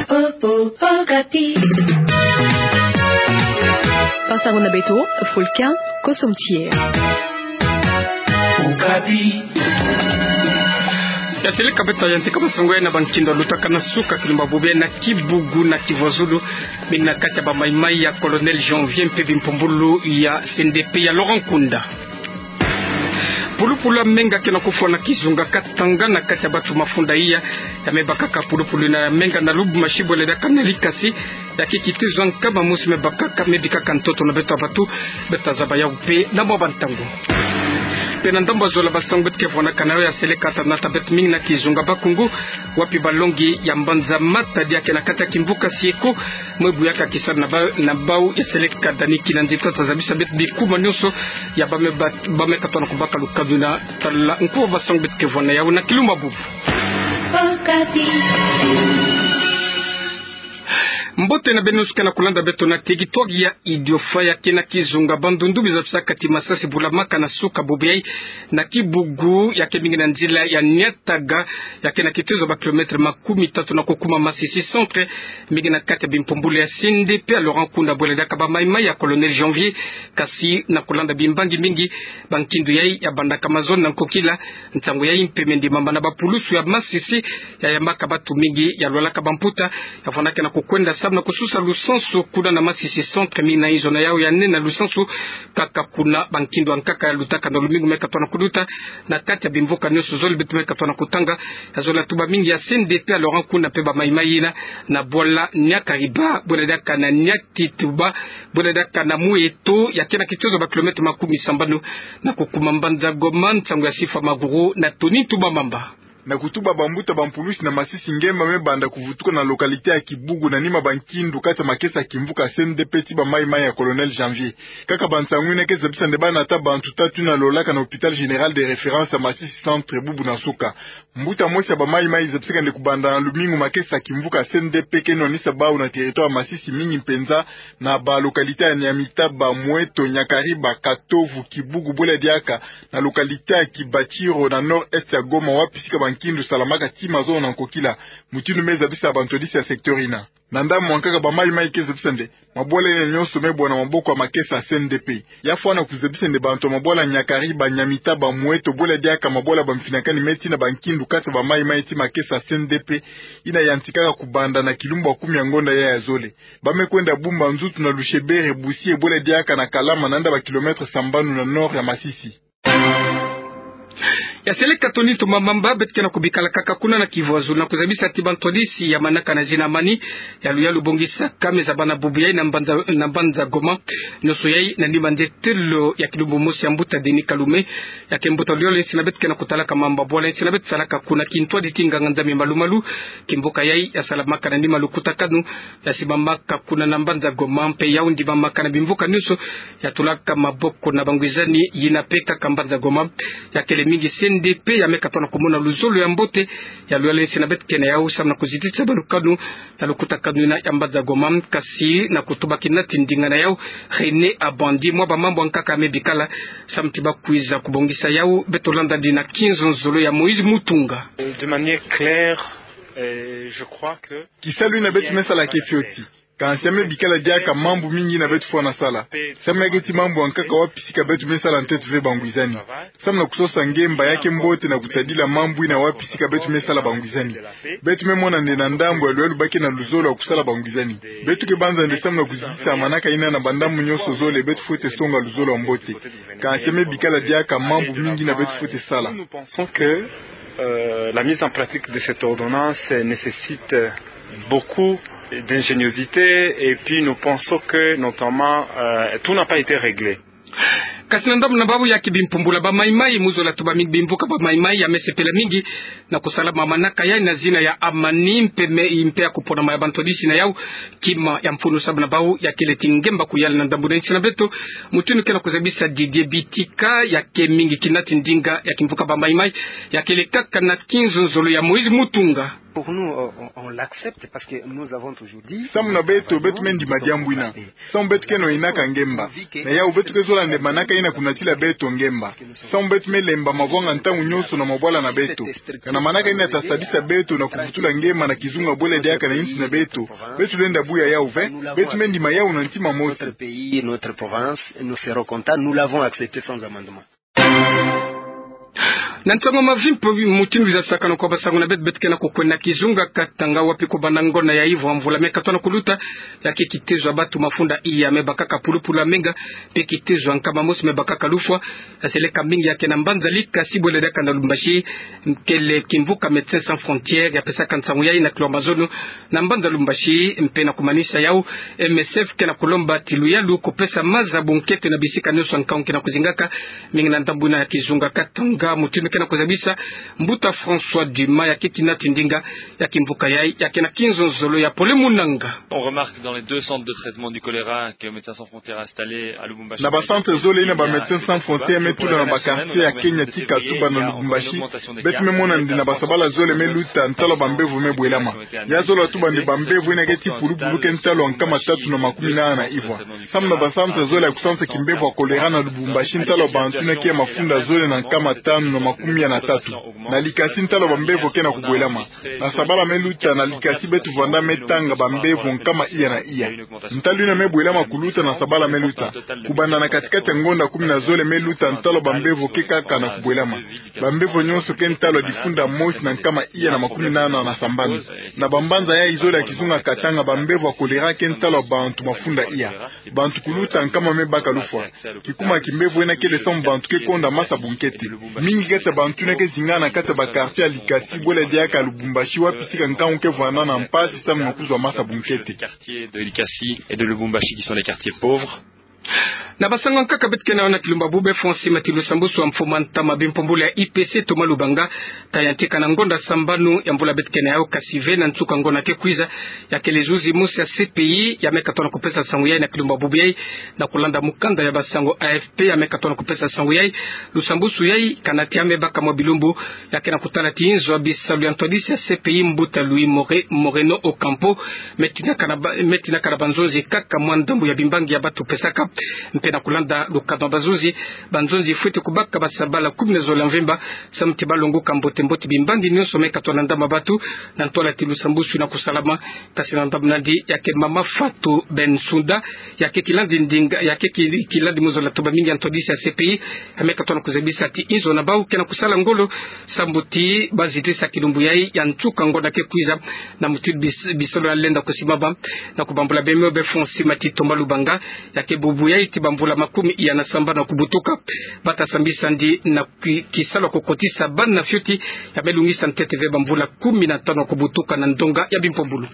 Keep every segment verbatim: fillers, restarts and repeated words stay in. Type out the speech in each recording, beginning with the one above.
Okapi. Basango na beto, Fulkin Kosom Thier. Okapi. Ya seleka beto ya ntika basango ya na bankindo lutaka na suka kilumbu bubu ya na Kibugu na Kivuazulu, mingi na kati ya bamaimai ya Colonel Janvier mpe bimpumbulu ya C N D P ya Laurent Nkunda. Pulupulu ya menga ke na kufwa na kizunga Katanga na kati ya bantu mafunda iya, ya mebakaka pulupulu ina ya menga na Lubumbashi bwela diaka na Likasi, ya ke kituza nkama mosi mebakaka, mebikaka ntoto na beto ya bantu. Beto tazaba yawu mpe na mwa bantangu. Mpe na ndambu ya zola basango beto ke vwanaka na yo ya seleka ta nata beto mingi na kizunga Bakungu, wapi balongi ya mbanza Matadi ya ke na kati ya kimvuka Sieko, mwe bu ya ke kisalu na ba-, na bawu ya seleka Dani Kinanzi ta tazabisa beto bikuma nyonso ya ba me ba-, ba me katona kubaka lukadu na tala nkuwa basango beto ke vwa na yawu na kilumbu bubu. Mbote na beno suka na kulanda beto na territoire ya Idiofa ya ke na kizunga Bandundu, biza bisaka ti masasi bulamaka na suka bubu yayi na Kibugu ya ke mingi na nzila ya Niataga, ya ke na kituza ba kilomètre makumi tatu na kukuma Masisi centre, mingi na kati ya bimpumbulu ya C N D P ya Laurent Nkunda bwela diaka bamaimai ya Colonel Janvier. Kasi na kulanda bimbangi mingi, bankindo yayi ya bandaka mazono na nkokila, ntangu yayi mpe me ndimama na bapulusu ya Masisi, ya yambaka bantu mingi ya lwalaka bamputa, ya vwanaka na kukwenda samu na kususa lusansu kuna na Masisi centre, mingi na inzo na yawu ya nene na lusansu, kaka kuna bankindo ya nkaka ya lutaka na lumingu me katona kuluta, na kati ya bimvuka nyonso zole beto me katona kutanga, ya zola tuba mingi ya C N D P ya Laurent Nkunda mpe bamaimai ina, na bwala Niakariba bwela diaka na Niatituba bwela diaka na Mweto, ya ke na kituza ba kilomètre makumi sambanu na kukuma mbanza Goma, nsangu ya Sifa Maguru na Tony Ntumba Mamba. Na kutuba bambuta bampulusi na masisi, ngemba me banda kuvutuka na localité ya Kibugu na nima bankindo kati ya makesa ya kimvuka C N D P ti bamaimai ya Colonel Janvier. Kaka bansangu ina ke zabisa nde bana ata bantu tatu ina lolaka na hôpital général de référence ya Masisi centre bubu na suka. Mbuta mosi ya bamaimai zabisaka nde kubanda na lumingu makesa ya kimvuka C N D P ke nwanisa bawu na territoire ya Masisi, mingi mpenza na ba localité ya Niamitaba, Mweto, Niakariba, Katovu, Kibugu bwela diaka na localité ya Kibatiro na nord-est ya Goma, wapi sika bankindo salamaka ti mazono na nkokila, mutindu me zabisa bantwadisi ya secteur ina. Na ndambu ya nkaka bamaimai ke zabisa nde mabwala ina nyonso me bwana maboko ya makesa ya C N D P. Ya fwana kuzabisa nde bantu ya mabwala Niakariba, Niamitaba, Mweto bwela diaka mabwala ya bamfinakani me tina bankindo kati ya bamaimai ti makesa ya C N D P ina yantikaka kubanda na kilumbu ya kumi ya ngonda ya ya zole. Ba me kwenda bumba nzutu na Lushebere, Busie bwela diaka na Kalama, nanda ba kilomètre sambanu na nord ya Masisi. Ya seleka Tony Ntumba Mamba, beto ke na kubikala kaka kuna na Kivu Azul na kuzabisa ti bantwadisi ya manaka na zina Amani, ya luyalu bongisaka me zabana bubu yayi na mbanza, na mbanza Goma. Nyonso yayi na nima nde telo ya kilumbu mosi ya mbuta Denis Kalume, ya ke mbuta luyalu ya nsi na beto ke na kutalaka mamba bwala ya nsi na beto salaka kuna kintwadi ti nganga-Nzambi malu-malu. Kimvuka yayi ya salamaka na nima lukutakanu ya simbamaka kuna na mbanza Goma, mpe yawu ndimamaka na bimvuka nyonso ya tulaka maboko na bangwizani. Yina mpe kaka mbanza Goma, ya kele mingi C N D P ya me katona kumona luzolo ya mbote. Ya luyalu ya nsi na beto ke na yawu samu na kuzitisa balukanu ya lukutakanu ina ya mbanza Goma, kasi na kutuba kinati ndinga na yawu René Abandi, mwa bamambu ya nkaka ya me bikala samu ti bakwiza kubongisa yawu. Beto landa dina kinzonzolo ya Moïse Mutunga. De manière claire, euh, je crois que kisalu ina beto me sala ke fioti. Kansi ya me bikala diaka mambu mingi ina beto fwana sala. Samu ya ke ti mambu ya nkaka wapi sika beto me sala ntete ve bangwizani. Samu na kusosa ngemba ya ke mbote na kutadila mambu ina wapi sika beto me sala bangwizani. Beto me mona nde na ndambu ya luyalu ba ke na luzolo ya kusala bangwizani. Beto ke banza nde samu na kuzitisa manaka ina na bandambu nyonso zole beto fwete songa luzolo ya mbote. Kansi ya me bikala diaka mambu mingi ina beto fwete sala. Nous pensons que, euh, la mise en pratique de cette ordonnance nécessite beaucoup d'ingéniosité et puis nous pensons que notamment, euh, tout n'a pas été réglé. Kasi na ndambu na bawu ya kibimpumbula bamaimai, mu zola tuba mingi bimvuka bamaimai ya me sepela mingi na kusala ma manaka yayi na zina ya Amani, mpe me, mpe ya kuponama ya bantwadisi na yawu kima ya mfunu samu na bawu ya kele ti ngemba kuyala na ndambu na nsi na beto. Mutindu ke na kuzabisa Didier Bitika, ya ke mingi kinati ndinga ya kimvuka bamaimai, ya kele kaka na kinzonzolo ya Moïse Mutunga. Pour nous, on, on, on l'accepte parce que nous avons toujours dit. Samu na beto, beto me ndima diambu ina. Samu beto ke na yinaka ngemba. Na yawu beto ke zola nde manaka ina kunatila beto ngemba. Samu beto me lemba mavwanga ntangu nyonso na mabwala na beto. Kana manaka ina ta sadisa beto na kuvutula ngemba na kizunga bwele diaka na insi na beto. Beto lenda buya yau ve, beto me ndima yau na ntima mosi. Notre pays, notre province, nous serons contents, nous l'avons accepté sans amendement. Na nsangu mavimpi mutindu zisakana kwa basangu na beto, beto ke na kukwenda kizunga Katanga, wapi kubanda ngonda ya ivwa mvula me katono kuluta, ya ke kitezo ya batu mafunda iya me bakaka pulupulu ya menga, mpe kitezo ya nkama mosi me bakaka lufwa, ya seleka mingi ya ke na mbanza Likasi bwele diaka na Lubumbashi, kele kimvuka Médecins Sans Frontières ya pesaka nsangu yayi na kilomba zono, na mbanza Lubumbashi, mpe na kumanisa yau, M S F ke na kulomba ti luyalu kupesa maza bunkete na bisika nyonso nkangu ke na kuzingaka, mingi na ndambu ina ya kizunga Katanga, mutindu ke na kuzabisa Mbuta François Dumas, ya ke kina tindinga ya kimvuka yayi, ya ke na kinzonzolo ya Pole Munanga. On remarque dans les deux centres de traitement du choléra que Médecins Sans Frontières a installés à Lubumbashi. Na ba centre zole ina ba Médecins Sans Frontières me tula na ba quartier ya Kenya tika tuba na Lubumbashi, beto me mona nde na ba sabala zole me luta ntalo bambevo me bwelama. Ya zole tuba nde bambevo ina ke ti pulupulu ke ntalo nkama tatu na makumi nana na ivwa. Samu na ba centre zole ya kusansa kimbevo ya choléra na Lubumbashi, ntalo bantu ina ke mafunda zole na nkama tanu na makumi ya na tatu. Na Likasi ntalo bambevo ke na kubwelama. Na sabala me luta na Likasi beto vwanda me tanga bambevo nkama iya na iya. Ntalo ina me bwelama kuluta na sabala me luta. Kubanda na katikati ya ngonda kumi na zole me luta ntalo bambevo ke kaka na kubwelama. Bambevo nyonso ke ntalo ya difunda mosi na nkama iya na makumi nana na sambanu. Na bambanza yayi zole ya kizunga Katanga bambevo ya choléra ke ntalo ya bantu mafunda iya. Bantu kuluta nkama me baka lufwa. Kikuma kimbevo ina kele samu bantu ke konda masa bunkete. Mingi kati ya bantu ina ke zingana kati ya ba quartier ya Likasi bwele diaka Lubumbashi wapi sika nkangu ke vwanda na mpasi samu na kuzwa masa bunkete. Quartiers de Likasi et de Lubumbashi qui sont les quartiers pauvres. Na basangu ya nkaka beto ke na yau na kilumbu ya bubu, François Mati, lusambwasu ya mfumu a ntama bimpumbulu ya I P C Thomas Lubanga, ta yantika na ngonda sambanu ya mvula beto ke na yau, kasi ve na nsuka ngonda ke kwiza, ya kele zuzi mosi ya C P I ya me katono kupesa nsangu yayi na kilumbu ya bubu yayi, na kulanda mukanda ya basangu A F P ya me katono kupesa nsangu yayi. Lusambwasu yayi kana ti ya me baka mwa bilumbu, ya ke na kutala ti inzo ya bisalu ya ntwadisi ya C P I, mbuta Luis More-, Moreno Ocampo, me tinaka na ba-, me tinaka na banzonzi kaka mwa ndambu ya bimbangi ya batu pesaka, mpe na kulanda lukano ya banzonzi, banzonzi fwete kubaka basabala kumi na zole ya mvimba, samu ti balonguka mbote mbote bimbangi nyonso me katono na ndama batu, na ntwala ti lusambwasu na kusalama. Kasi na ndambu nandi ya ke mama Fatou Bensouda, ya ke kilandi ndinga, ya ke ki-, kilandi mu zola tuba mingi ya ntwadisi ya C P I, ya me katono kuzabisa ti inzo na bau ke na kusala ngolo, samu ti bazitisa kilumbu yayi ya nsuka ngonda ke kwiza, na mutindu bis-, bisalu ya lenda kusimbama. Na kubambula beno, be François Mati, Thomas Lubanga, ya ke bubu yayi ti bamvula makumi iya na sambanu ya kubutuka, bata sambisandi na ki-, kisalu ya kukotisa bana fioti ya me lungisa ntete ve bamvula kumi na tanu ya kubutuka na ndonga ya bimpumbulu.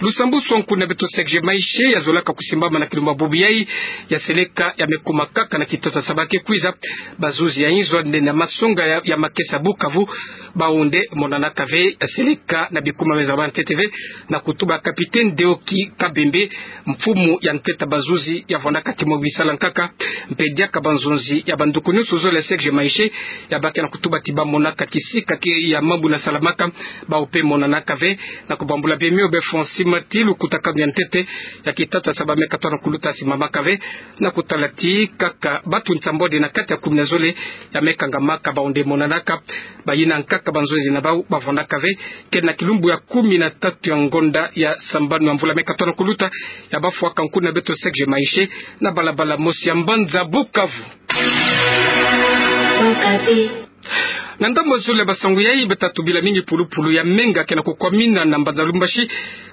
Lusambwasu ya nkundi na beto Serge Maeshe ya zolaka kusimbama na kilumbu ya bubu yayi, ya seleka ya me kuma kaka na kitasa ya saba ke kwiza. Bazuzi ya inzo nde na masonga ya, ya makesa Bukavu, bau nde monanaka ve, ya seleka na bikuma me zaba ntete ve, na kutuba capitaine Deoki Kabembe, mfumu ya ntete ya bazuzi ya vwandaka ti mo bisalu ya nkaka, mpe diaka banzonzi ya banduku nyonso zole ya Serge Maeshe, ya bake na kutuba ti bamonaka kisika ki-, ya mambu na salamaka, bau mpe monanaka ve. Na kubambula beno, be François Mati, lukutakanu ya ntete ya kitasa ya saba me katono kuluta simbamaka ve, na kutala ti kaka batu nsambwadi na kati ya kumi na zole ya me kangamaka, bau nde monanaka. Bayina nkaka banzonzi na bau bavwandaka ve, kele na kilumbu ya kumi na tatu ya ngonda ya sambanu ya mvula me katono kuluta, ya bafwaka nkundi na beto Serge Maeshe, na balabala mosi ya mbanza Bukavu. Na ndambu ya zole ya basangu yayi, beto ta tubila mingi pulupulu ya menga ke na kukwamina na mbanza Lubumbashi,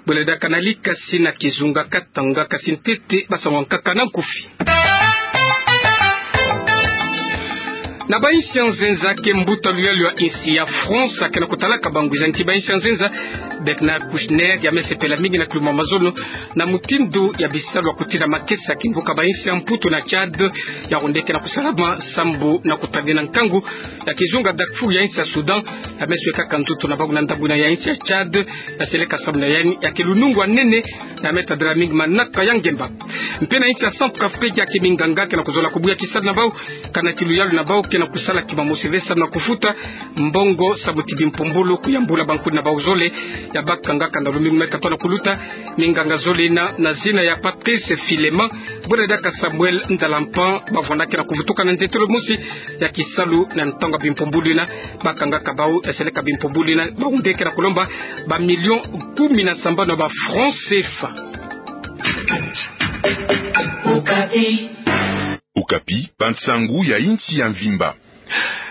bwele diaka na Likasi na kizunga Katanga. Kasi ntete basangu ya nkaka na nkufi. Na bainsi ya nzenza, ke mbuta luyalu ya insi ya France ake na kutalaka bangwiza nki bainsi ya nzenza, Bernard Kouchner, ya me sepela mingi na kilumbu ya mazono na mutindu ya bisalu ya kutinda makesa ya kimvuka bainsi ya Mputu na Tchad, ya onde ke na kusalama sambu na kutadina nkangu ya kizunga Darfour ya insi ya Soudan, ya me swekaka nzoto na bangu na ndambu ina ya insi ya Tchad, ya seleka sambu na yandi ya ke lunungu ya nene, na me tadila mingi manaka ya ngemba. Mpe na insi ya Centrafrique, ya ke minganga ke na kuzola kubuya kisalu na bau, kana ti luyalu na bau ke na kusala kima mosi ve sambu na kufuta mbongo sambu ti bimpumbulu kuyambula bankuni na bau zole, ya bakanga kanda lumingu me katona kuluta, minganga zole ina na zina ya Patrice Filemon, bwela diaka Samuel Ndalampan, bavwandaka na kuvutuka na ntetolo mosi ya kisalu na ntangu ya bimpumbulu ina, bakanga ka bau, eseleka bimpumbulu ina, baundeke na kulomba ba millions kumi na sambanu ya ba francs C F A. Okapi, bansangu ya insi ya mvimba.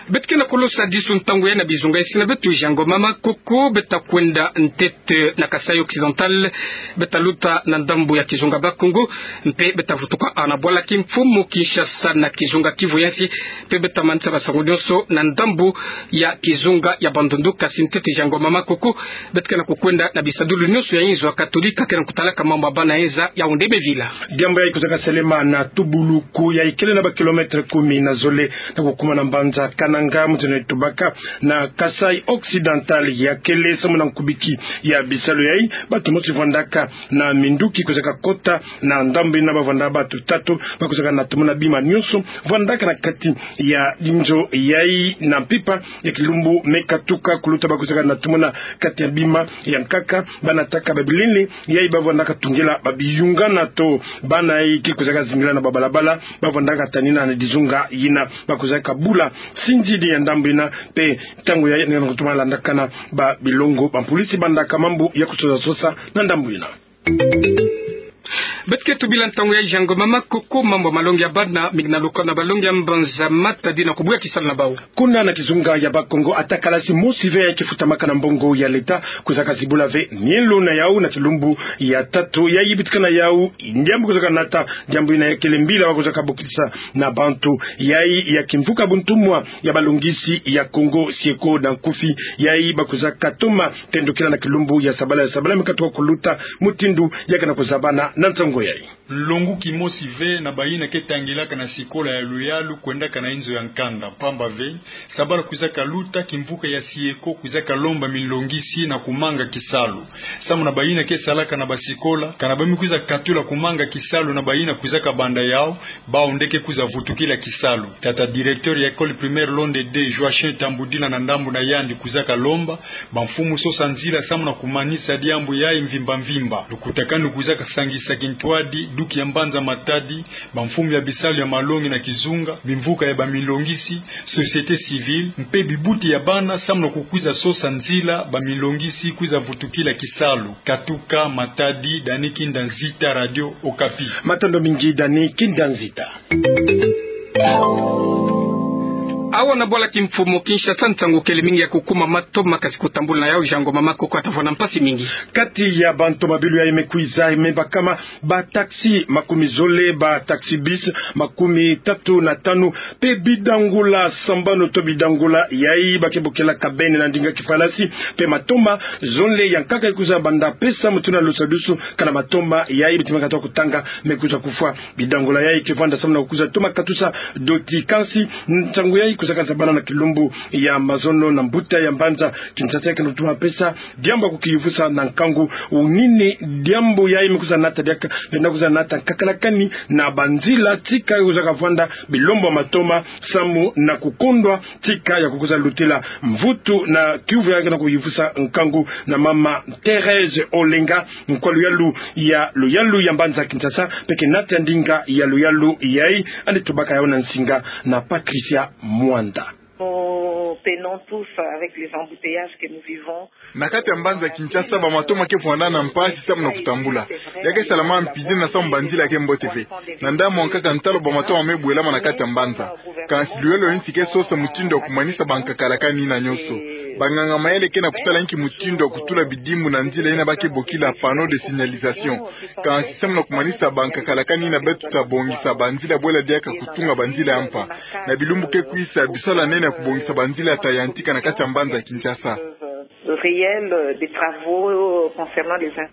Beto ke na kolosa disu ntangu ya na bizunga isi na beto, Jean Ngoma Makoko, beta kwenda ntete na Kasaï Occidental, beta luta na ndambu ya kizunga Bas-Congo, mpe beta vutuka na bwala kimfumu Kinshasa na kizunga Kivu ya nsi, mpe beta manisa basangu nyonso na ndambu ya kizunga ya Bandundu. Kasi ntete, Jean Ngoma Makoko, beto ke na kukwenda na bisadulu nyonso ya inzo ya Katolika ke na kutalaka mambu ya bana eza ya onde mevila. Diambu yayi kwizaka selema na tubuluku yayi kele na ba kilomètre kumi na zole na kukuma na mbanza Kananga, mutindu tubaka na Kasaï Occidental ya kele samu na nkubiki ya bisalu yayi. Bantu mosi vwandaka na minduki kwizaka kota na ndambu ina, bavwanda bantu tatu, bakwizaka na tumuna bima nyonso vwandaka na kati ya inzo yayi na mpimpa ya kilumbu me katuka kuluta, bakwizaka na tumuna kati ya bima ya nkaka, banataka ba bilele yayi bavwandaka tungila ba biyungana to bana yayi ke kwizaka zingila na ba balabala, bavwandaka tanina na dizunga yina, bakwizaka bula sinzidi ya ndambu yina, mpe ntangu yayi ni na kutuma landakana ba bilongo, ba mpulisi bandaka mambu ya kusosa sosa na ndambu yina. Beto ke tubila ntangu yayi, Jean Ngoma Makoko, mambu ya malongi ya bana, mingi na lukolo na balongi ya mbanza Matadi na kubuya kisalu na bau. Kuna na kizunga ya Bas-Congo, ata kalasi mosi ve yayi ke futamaka na mbongo ya leta, kwizaka zibula ve mielo na yau na kilumbu ya tatu yayi bitikana yau. Diambu kwizaka nata, diambu yina ya kele mbila wa kwizaka bokisa na bantu yayi ya kimvuka buntumwa ya balongisi ya Congo, SIECO na nkufi, yayi bakwizaka toma tendukila na kilumbu ya sabala, ya sabala me katuka kuluta, mutindu ya ke na kuzabana na nsangu yayi. Nlongo kimosi ve na bayina ke tangilaka na sikola ya luyalu kwendaka na inzo ya nkanda, mpamba ve sabala kwizaka luta, kimvuka ya SIECO kwizaka lomba minlongisi na kumanga kisalu samu na bayina ke salaka na basikola, kana ba me kwiza katula kumanga kisalu na bayina kwizaka banda yau, bau nde ke kwiza vutukila kisalu. Tata directeur ya école primaire Londe deux, Joachim Tambudila, na ndambu na yandi kwizaka lomba ba mfumu sosa nzila samu na kumanisa diambu yayi mvimba mvimba. Lukutakanu kwizaka sangisa kintwadi, duki ya mbanza Matadi, ba mfumu ya bisalu ya malongi na kizunga, bimvuka ya ba minlongisi, société civile, mpe bibuti ya bana samu na kukwiza sosa nzila ba minlongisi kwiza vutukila kisalu. Katuka Matadi, Dani Kinda Nzita, Radio Okapi. Matondo mingi, Dani Kinda Nzita. Awa na bwala kimfumu Kinshasa, nsangu kele mingi ya kukuma matoma, kasi kutambula na yau, Jean Ngoma Makoko ata vwanda mpasi mingi. Kati ya bantomabilu yayi me kwiza, me bakama ba taxi makumi zole, ba taxi bus makumi tatu na tanu, mpe bidangula sambanu to bidangula yayi ba ke bokilaka bene na ndinga kifalansi, mpe matoma zole ya nkaka ikwiza banda pesa mutu na lusadusu, kana matoma yayi bitima kata kutanga me kwiza kufwa. Bidangula yayi ke vwanda samu na kukwiza toma katusa doti. Kansi nsangu yayi kwizaka zabana na kilumbu ya mazono na mbuta ya mbanza Kinshasa, ke na kutuma pesa diambu ya kukiyuvusa na nkangu. Unini diambu yayi me kwiza nata diaka, lenda kwiza nata nkakalakani na banzila, tika kwizaka vwanda bilombo ya matoma samu na kukondwa tika ya kukwiza lutila mvutu na kiyuvu yayi ke na kuyuvusa nkangu. Na mama Thérèse Olenga, nkwa luyalu ya luyalu ya mbanza Kinshasa, mpe ke nata ndinga ya luyalu yayi, yandi tubaka yawu na nsinga na Patricia Mwanda. Nous peinons tous avec les embouteillages que nous vivons. Na kati ya mbanza Kinshasa, ba matoma ke vwanda na mpasi samu na kutambula. Ya ke salama mpizene na samu banzila ke mbote ve. Na ndambu ya nkaka ntalu ba matoma me bwelama na kati ya mbanza. Kansi luyalu ya nsi ke sosa mutindu ya kumanisa bankakalakani yina nyonso. Banganga mayele ke na kutala inki mutindu ya kutula bidimbu na nzila yina ba ke bokila panneau de signalisation. Kansi samu na kumanisa bankakalakani yina, beto ta bongisa banzila, bwela diaka kutunga banzila ya mpa. Na bilumbu ke kwisa, bisalu ya nene ya kubongisa banzila ta yantika na kati ya mbanza Kinshasa. Réel, euh, des travaux, euh, concernant les in-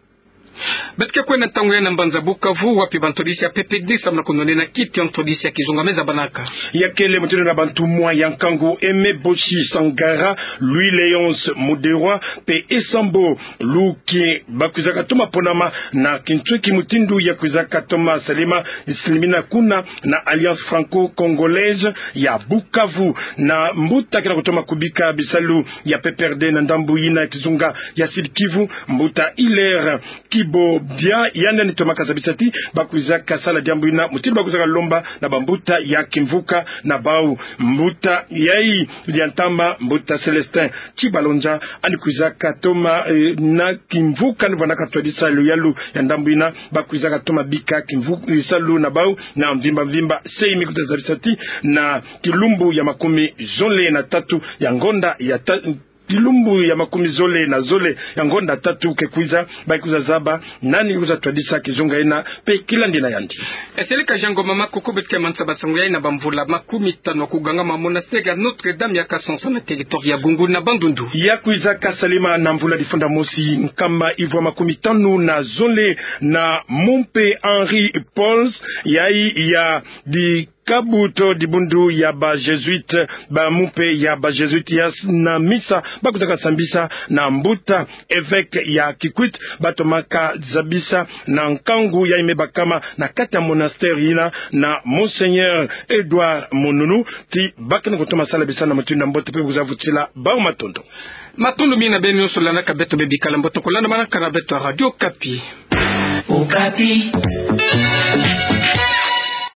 Beto ke kwenda ntangu ya na mbanza Bukavu, wapi bantwadisi ya P P D D sambana kunonena kiti ya ntwadisi ya kizunga me zabanaka. Ya kele mutindu na bantumwa ya nkangu Aimé Boshi Sangara, Louis Léonce Muderwa, mpe Esambo Luki, bakwizaka toma ponama na kintweki mutindu ya kwizaka toma salama, silimina kuna na Alliance Franco-Congolaise ya Bukavu. Na mbuta kena kutoma kubika bisalu ya P P R D na ndambu yina kizunga ya Sud-Kivu, mbuta Hilaire Kibobia, yandi yandi tomaka zabisa ti bakwizaka sala diambu yina, mutindu bakwizaka lomba na bambuta ya kimvuka na bau. Mbuta yayi ya ntama, mbuta Célestin Tibalonja, yandi kwizaka toma, eh, na kimvuka ni vwandaka twadisa luyalu ya ndambu yina, bakwizaka toma bika kimvu-, eh, salu na bau na mvimba mvimba. Semi kuta zabisa ti na kilumbu ya makumi zole na tatu ya ngonda ya ta-, kilumbu ya makumi zole na zole ya ngonda tatu ke kwiza, bakwiza zaba nani kwiza twadisa kizunga yina mpe kilandi na yandi. Esele ka jango mama koko, beto ke manisa basango yayi na bamvula makumi tanu ya kugangama monastère ya Notre-Dame ya Kasonso na territoire ya Gungu na Bandundu. Ya kwizaka salama na mvula difunda mosi nkama ivwa makumi tanu na zole na mumpe Henri Pauls, yayi ya di kabuto dibundu ya ba Jésuites, ba mumpe ya ba Jésuites ya s-, na misa bakwizaka sambisa na mbuta évêque ya Kikwit, batomaka zabisa na nkangu yayi me bakama na kati ya monastère yina na Monseigneur Edouard Mununu, ti bakena kutoma sala bisalu na mutindu ya mbote mpe bakwiza vutila bau matondo. Matondo mingi na beno nyonso landaka beto, beno bikala mbote kulandamanaka na beto ya Radio Okapi. Okapi.